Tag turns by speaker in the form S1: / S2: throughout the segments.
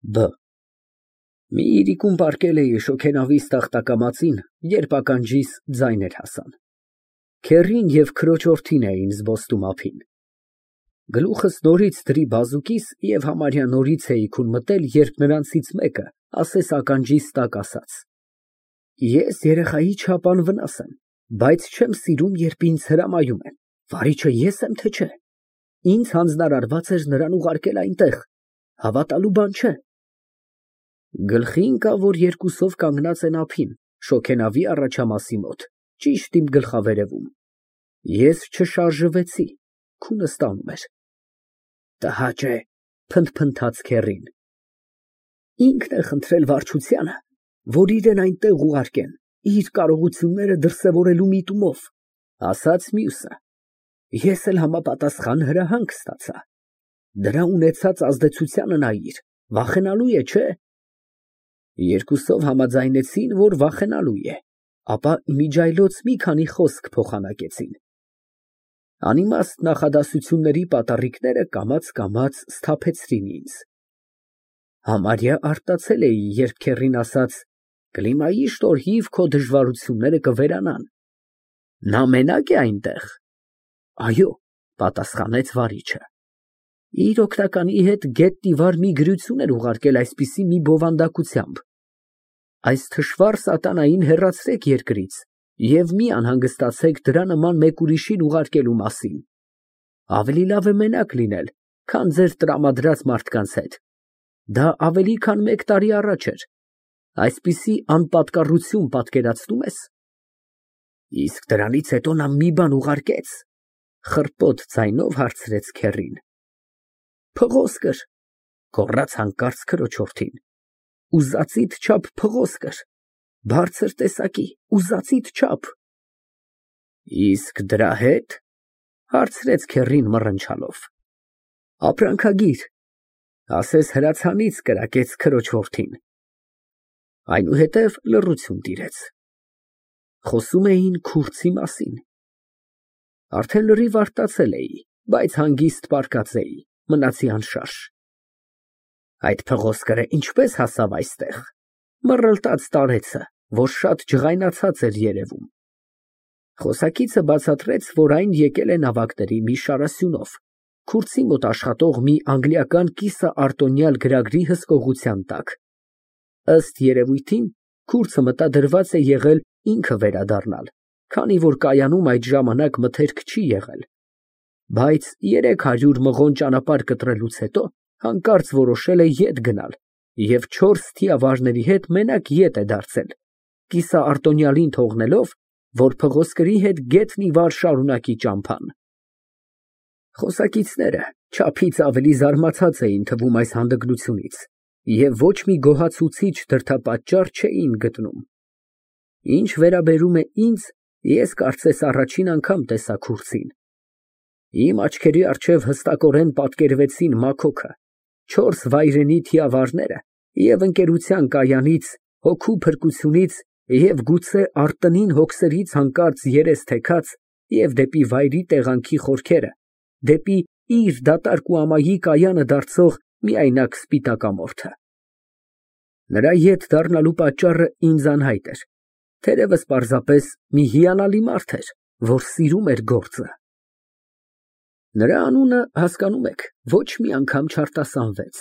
S1: Բ Մի իրիկուն պառկել էի շոգենավիզ տախտակամածին, երբ ականջիս ձայներ հասան. քեռին և քրոջ որդին էին զբոսնում ափին։ Գլուխս նորից դրի բազուկիս և համարյա նորից էի քուն մտել, երբ նրանցից մեկը ասես ականջիս տակ ասաց. ես երեխայի չափ անվնաս եմ, բայց չեմ սիրում, երբ ինձ հրամայում են, վարիչը ես եմ, թե չէ։ Ինձ հանձնարարված էր նրան ուղարկել այնտեղ, հավատալու բան չէ։ Գլխի ընկավ, որ երկուսով կանգնած են ափին, շոգենավի առաջամասի մոտ, ճիշտ իմ գլխավերևում։ Ես չշարժվեցի, քունս տանում էր։ Տհաճ է, փնթփնթաց քեռին։ Ինքն է խնդրել վարչությանը, որ իրեն այնտեղ ուղարկեն, իր կարողությունները դրսևորելու միտումով, ասաց մյուսը։ Ես էլ համապատասխան հրահանգ ստացա։ Դրա ունեցած ազդեցությանը նայիր, վախենալու է, չէ՞։ Երկուսով համաձայնեցին, որ վախենալու է, ապա իմիջիայլոց մի քանի խոսք փոխանակեցին։ Անիմաստ նախադասությունների պատառիկները կամաց սթափեցրին ինձ։ Համարյա արտացել էի, երբ քեռին ասաց. «Կլիմայի շնորհիվ քո դժվարությունները կվերանան»։ Նա մենակ է այնտեղ։ Այո, պատասխանեց վարիչը։ Իր օգնականի հետ գետնի վար մի գրություն էր ուղարկել այսպիսի մի բովանդակությամբ. «Այս թշվառ սատանային հեռացրեք երկրից և մի անհանգստացեք դրա նման մեկ ուրիշին ուղարկելու մասին։ Ավելի լավ է մենակ լինել, քան ձեր տրամադրած մարդկանց հետ»։ Դա ավելի քան 1 տարի առաջ էր։ Այսպիսի անպատկառություն պատկերացնո՞ւմ ես։ Իսկ դրանից հետո նա մի բան ուղարկեց, խռպոտ ձայնով հարցրեց քեռին։ Փղոսկր, գոռաց հանկարծ քրոջ որդին։ Ուզածիդ չափ փղոսկր, բարձր տեսակի, ուզածիդ չափ։ Իսկ դրա հետ, հարցրեց քեռին մռնչալով։ Ապրանքագիր, ասես հրացանից կրակեց քրոջ որդին։ Այնուհետև լռություն տիրեց։ Խոսում էին քուրդի մասին։ Արդեն լրիվ արտացել էի, բայց հանգիստ պառկած էի, մնացի անշարժ։ Այդ փղոսկրը ինչպես հասավ այստեղ։ Մռլտաց տարեցը, որ շատ ջղայնացած էր երևում։ Խոսակիցը բացատրեց, որ այն եկել է նավակների մի շարասյունով, քուրդի մոտ աշխատող մի անգլիական կիսաարտոնյալ գրագրի հսկողության տակ։ Ըստ երևույթին, քուրդը մտադրված է եղել ինքը վերադառնալ, քանի որ կայանում այդ ժամանակ մթերք չի եղել, բայց 300 մղոն ճանապարհ կտրելուց հետո հանկարծ որոշել է ետ գնալ և 4 թիավարների հետ մենակ ետ է դարձել, կիսաարտոնյալին թողնելով, որ փղոսկրի հետ գետնի վար շարունակի ճամփան։ Խոսակիցները չափից ավելի զարմացած էին թվում այս հանդգնությունից և ոչ մի գոհացուցիչ դրդապատճառ չէին գտնում։ Ինչ վերաբերում է ինձ, ես կարծես առաջին անգամ տեսա քուրդին։ Իմ աչքերի առջև հստակորեն պատկերվեցին Մաքոքը, 4 վայրենի թիավարները և ընկերության կայանից, հոգու փրկությունից և գուցե արտնին հոգսերից հանկարծ երես թեքած և դեպի վայրի տեղանքի խորքերը, դեպի իր դատարկ ու ամայի կայանը դարձող միայնակ սպիտակամորթը։ Նրա ետ դառնալու պատճառը ինձ անհայտ էր, թերևս պարզապես մի հիանալի մարդ էր, որ սիրում էր գործը։ Նրա անունը, հասկանում եք, ոչ մի անգամ չարտասանվեց։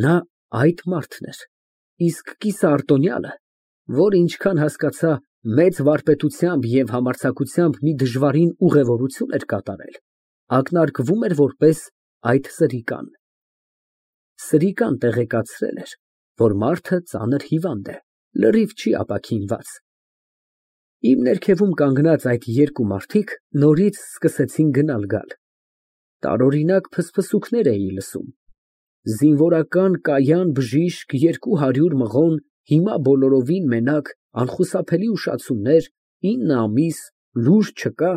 S1: Նա այդ մարդն էր, իսկ կիսաարտոնյալը, որ ինչքան հասկացա, մեծ վարպետությամբ և համարձակությամբ մի դժվարին ուղևորություն էր կատարել, ակնարկվում էր որպես այդ սրիկան։ Սրիկան տեղեկացրել էր, որ մարդը ծանր հիվանդ է, լրիվ չի ապաքինված։ Իմ ներքևում կանգնած այդ երկու մարդիկ նորից սկսեցին գնալ֊գալ։ Տարօրինակ ֆսֆսուկներ էի լսում։ Զինվորական կայան բժիշկ 200 մղոն, հիմա բոլորովին մենակ, անխուսափելի ուշացումներ, 9 ամիս, լուր չկա։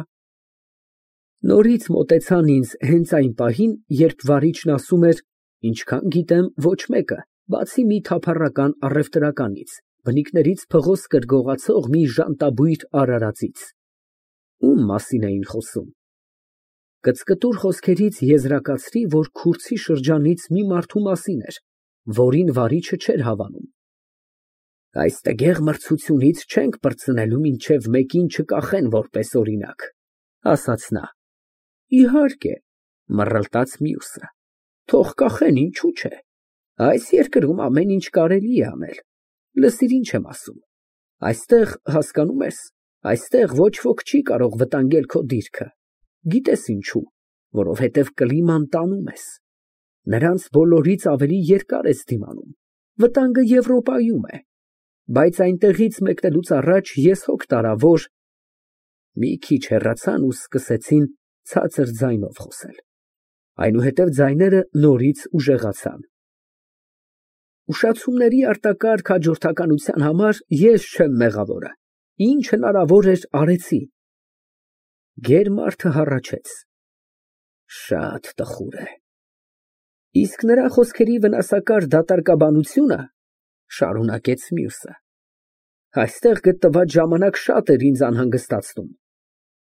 S1: Նորից մոտեցան ինձ հենց այն պահին, երբ վարիչն ասում էր, ինչքան գիտեմ, ոչ մեկը, բացի մի թափառական առևտրականից, բնիկներից փղոսկր գողացող մի ժանտաբույր արարածից։ Ում մասին էին խոսում։ Կծկտուր խոսքերից եզրակացրի, որ քուրդի շրջանից մի մարդու մասին էր, որին վարիչը չէր հավանում։ Այս տգեղ մրցությունից չենք պրծնելու, մինչև մեկին չկախեն որպես օրինակ, ասաց նա։ Իհարկե, մռլտաց մյուսը, թող կախեն, ինչու՞ չէ։ Այս երկրում ամեն ինչ կարելի է անել։ Լսիր, ինչ եմ ասում։ Այստեղ, հասկանում ես, այստեղ ոչ ոք չի կարող վտանգել քո դիրքը։ Գիտես ինչու, որովհետև կլիման տանում ես։ Նրանց բոլորից ավելի երկար ես դիմանում։ Վտանգը Եվրոպայում է։ Բայց այնտեղից մեկնելուց առաջ ես հոգ տարա, որ… Մի քիչ հեռացան ու սկսեցին ցածր ձայնով խոսել։ Այնուհետև ձայները նորից ուժեղացան։ Ուշացումների արտակարգ հաջորդականության համար ես չեմ մեղավորը։ Ինչ հնարավոր էր, արեցի։ Գերմարդը հառաչեց։ Շատ տխուր է։ Իսկ նրա խոսքերի վնասակար դատարկաբանությունը, շարունակեց մյուսը, այստեղ գտնված ժամանակ շատ էր ինձ անհանգստացնում։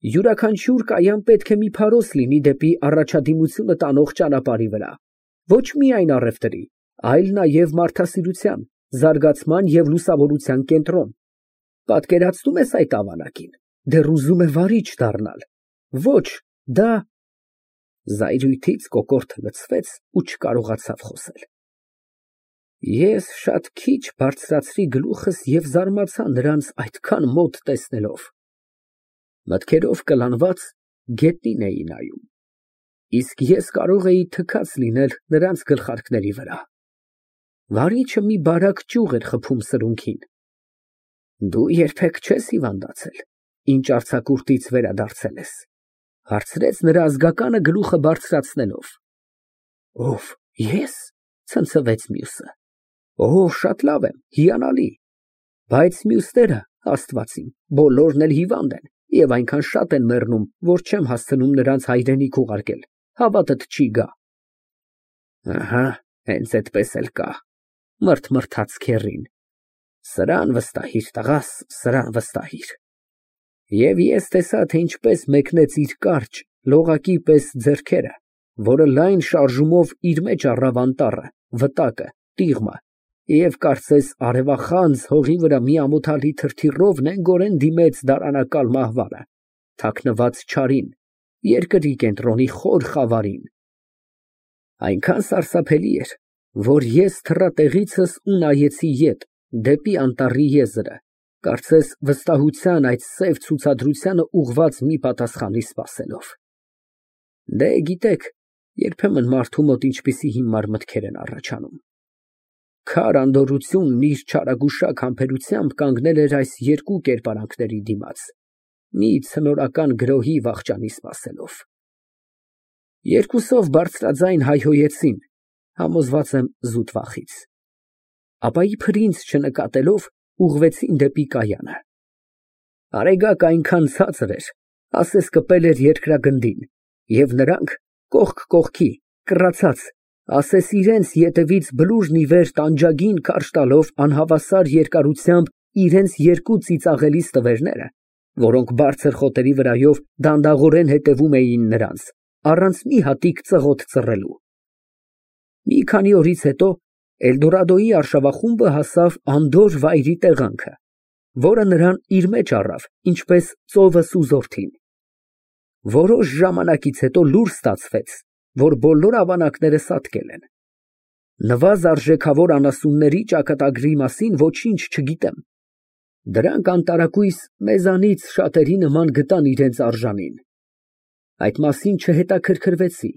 S1: Յուրաքանչյուր կայան պետք է մի փարոս լինի դեպի առաջադիմությունը տանող ճանապարհի վրա, ոչ միայն առևտրի, այլ նաև մարդասիրության, զարգացման և լուսավորության կենտրոն։ Պատկերացնում ես այդ ավանակին, դեռ ուզում է վարիչ դառնալ։ Ոչ, դա… Զայրույթից կոկորդը լցվեց ու չկարողացավ խոսել։ Ես շատ քիչ բարձրացրի գլուխս և զարմացա նրանց այդքան մոտ տեսնելով։ Մտքերով կլանված գետնին էի նայում, իսկ ես կարող էի թքած լինել նրանց գլխարկների վրա։ Վարիչը մի բարակ ճյուղ էր խփում սրունքին։ Դու երբեք չես հիվանդացել, ինչ արձակուրդից վերադարձել ես, հարցրեց նրա ազգականը գլուխը բարձրացնելով։ Ով, ես, ցնցվեց մյուսը։ Օ, շատ լավ եմ, հիանալի։ Բայց մյուսները, Աստված իմ, բոլորն էլ հիվանդ են և այնքան շատ են մեռնում, որ չեմ հասցնում նրանց հայրենիք ուղարկել, հավատդ չի գա։ Ահա, հենց այդպես էլ կա, մրթմրթաց քեռին։ Սրան վստահիր, տղաս, սրան վստահիր։ Եվ ես տեսա, թե ինչպես մեկնեց իր կարճ, լողակի պես ձեռքերը, որը լայն շարժումով իր մեջ առավ անտառը, վտակը, տիղմը, և կարծես արևախանձ հողի վրա մի ամոթալի թրթիռով նենգորեն դիմեց դարանակալ մահվանը, թաքնված չարին, երկրի կենտրոնի խոր խավարին։ Այնքան սարսափելի էր, որ ես թռա տեղիցս ու նայեցի ետ, դեպի անտառի եզրը, կարծես վստահության այդ սև ցուցադրությանը ուղղված մի պատասխանի սպասելով։ Դե, գիտեք, երբեմն մարդու մոտ ինչպիսի հիմար մտքեր են առաջանում։ Քար անդորրությունն իր չարագուշակ համբերությամբ կանգնել էր այս երկու կերպարանքների դիմաց, մի ցնորական գրոհի վախճանի սպասելով։ Երկուսով բարձրաձայն հայհոյեցին, համոզված եմ զուտ վախից։ Ապա իբր ինձ չնկատելով, ուղղվեցին դեպի կայանը։ Արեգակը այնքան ցածր էր, ասես կպել էր երկրագնդին, և նրանք կողք կողքի, կռացած, ասես իրենց ետևից բլուրն ի վեր տանջագին քարշ տալով անհավասար երկարությամբ իրենց երկու ծիծաղելի ստվերները, որոնք բարձր խոտերի վրայով դանդաղորեն հետևում էին նրանց, առանց մի հատիկ ծղոտ ծռելու։ Մի քանի օրից հետո Էլդորադոյի արշավախումբը հասավ անդորր վայրի տեղանքը, որը նրան իր մեջ առավ, ինչպես ծովը սուզորդին։ Որոշ ժամանակից հետո լուր ստացվեց, որ բոլոր ավանակները սատկել են։ Նվազ արժեքավոր անասունների ճակատագրի մասին ոչինչ չգիտեմ։ Դրանք անտարակույս մեզանից շատերի նման գտան իրենց արժանին։ Այդ մասին չհետաքրքրվեցի,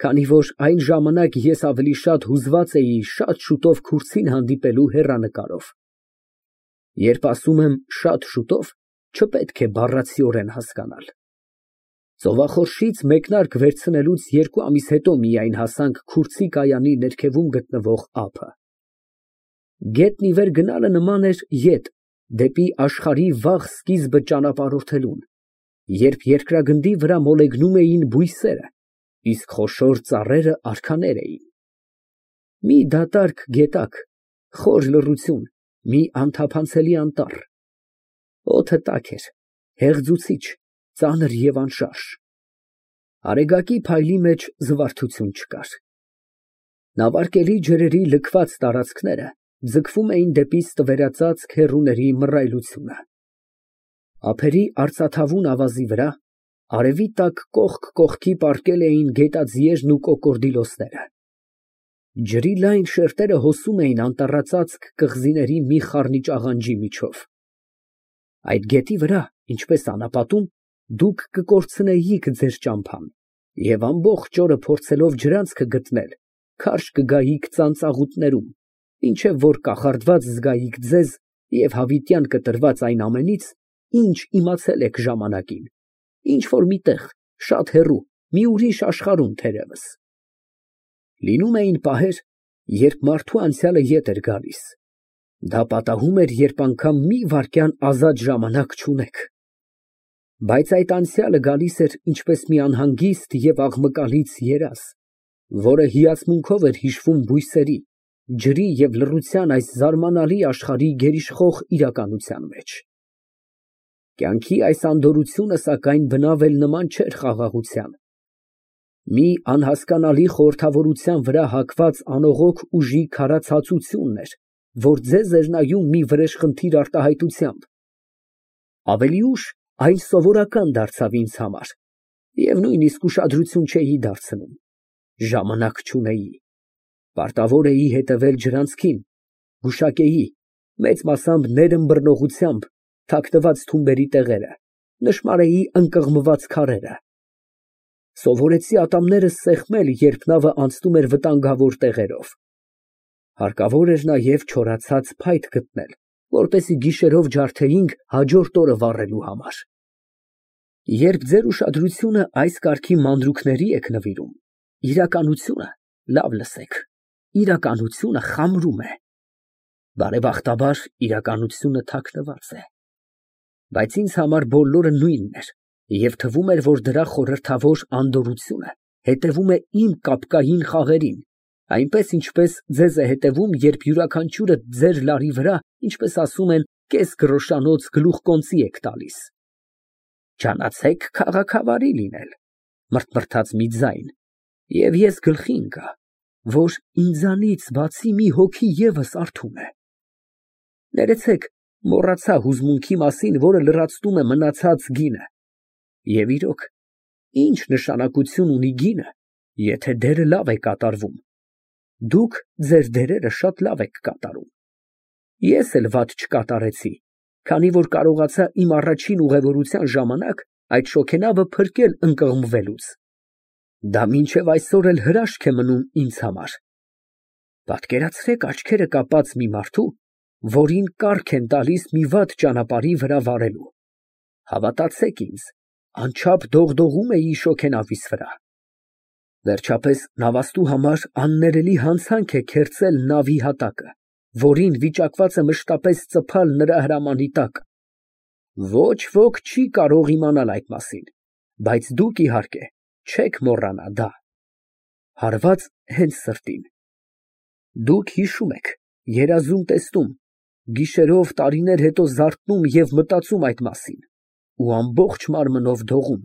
S1: քանի որ այն ժամանակ ես ավելի շատ հուզված էի շատ շուտով քուրձին հանդիպելու հեռանկարով։ Երբ ասում եմ շատ շուտով, չպետք է բառացիորեն հասկանալ։ Ծովախորշից մեկնարկ վերցնելուց 2 ամիս հետո միայն հասանք քուրձի կայանի ներքևում գտնվող ափը։ Գետն ի վեր գնալը նման էր ետ, դեպի աշխարհի վաղ սկիզբը ճանապարհորդելուն, երբ երկրագնդի վրա մոլեգնում էին բույսերը, իսկ խոշոր ծառերը արքաներ էին։ Մի դատարկ գետակ, խոր լռություն, մի անթափանցելի անտառ։ Օդը տաք էր, հեղձուցիչ, ծանր և անշարժ։ Արեգակի փայլի մեջ զվարթություն չկար։ Նավարկելի ջրերի լքված տարածքները ձգվում էին դեպի ստվերածածկ հեռուների մռայլությունը։ Ափերի արծաթավուն ավազի վրա արևի տակ կողք կողքի պառկել էին գետաձիերն ու կոկորդիլոսները։ Ջրի լայն շերտերը հոսում էին անտառածածկ կղզիների մի խառնիճ աղանջի միջով։ Այդ գետի վրա, ինչպես անապատում, դուք կկորցնեիք ձեր ճամփան և ամբողջ օրը փորձելով ջրանցքը գտնել, քարշ կգայիք ծանծաղուտներում, մինչև որ կախարդված զգայիք ձեզ և հավիտյան կտրված այն ամենից, ինչ իմացել եք ժամանակին, ինչ որ մի տեղ, շատ հեռու, մի ուրիշ աշխարհում թերևս։ Լինում էին պահեր, երբ մարդու անցյալը ետ էր գալիս։ Դա պատահում էր, երբ անգամ մի վայրկյան ազատ ժամանակ չունեք։ Բայց այդ անցյալը գալիս էր ինչպես մի անհանգիստ և աղմկալից երազ, որը հիացմունքով էր հիշվում բույսերի, ջրի և լռության այս զարմանալի աշխարհի գերիշխող իրականության մեջ։ Կյանքի այս անդորրությունը, սակայն, բնավ էլ նման չէր խաղաղության։ Մի անհասկանալի խորհրդավորության վրա հակված անողոք ուժի քարացածությունն էր, որ ձեզ էր նայում մի վրեժխնդիր արտահայտությամբ։ Ավելի ուշ այն սովորական դարձավ ինձ համար, և նույնիսկ ուշադրություն չէի դարձնում։ Ժամանակ չունեի։ Պարտավոր էի հետևել ջրանցքին, գուշակեի, մեծ մասամբ ներըմբռնողությամբ, թաքնված թումբերի տեղերը, նշմարեի ընկղմված քարերը։ Սովորեցի ատամներս սեղմել, երբ նավը անցնում էր վտանգավոր տեղերով։ Հարկավոր էր նաև չորացած փայտ գտնել, որպեսզի գիշերով ջարդեինք հաջորդ օրը վառելու համար։ Երբ ձեր ուշադրությունը այս կարգի մանրուքների եք նվիրում, իրականությունը, լավ լսեք, իրականությունը խամրում է։ Բարեբախտաբար, իրականությունը թաքնված է։ Բայց ինձ համար բոլորը նույնն էր, և թվում էր, որ դրա խորհրդավոր անդորրությունը հետևում է իմ կապկային խաղերին, այնպես, ինչպես ձեզ է հետևում, երբ յուրաքանչյուրը ձեր լարի վրա, ինչպես ասում են, կես գրոշանոց գլուխկոնծի եք տալիս։ Ջանացեք քաղաքավարի լինել, մռթմռթաց մի ձայն, և ես գլխի ընկա, որ ինձանից բացի մի հոգի ևս արթուն է։ Ներեցեք, մոռացա հուզմունքի մասին, որը լրացնում է մնացած գինը։ Եվ իրոք, ինչ նշանակություն ունի գինը, եթե դերը լավ է կատարվում։ Դուք ձեր դերերը շատ լավ եք կատարում։ Ես էլ վատ չկատարեցի, քանի որ կարողացա իմ առաջին ուղևորության ժամանակ այդ շոգենավը փրկել ընկղմվելուց։ Դա մինչև այսօր էլ հրաշք է մնում ինձ համար։ Պատկերացրեք աչքերը կապած մի մարդու, որին կառք են տալիս մի վատ ճանապարհի վրա վարելու։ Հավատացեք ինձ, անչափ դողդողում էի շոգենավիս վրա։ Վերջապես նավաստու համար աններելի հանցանք է քերծել նավի հատակը, որին վիճակված է մշտապես ծփալ նրա հրամանի տակ։ Ոչ ոք չի կարող իմանալ այդ մասին, բայց դուք, իհարկե, չեք մոռանա դա։ Հարված հենց սրտին։ Դուք հիշում եք, երազում տեսնում, գիշերով տարիներ հետո զարթնում և մտածում այդ մասին ու ամբողջ մարմնով դողում։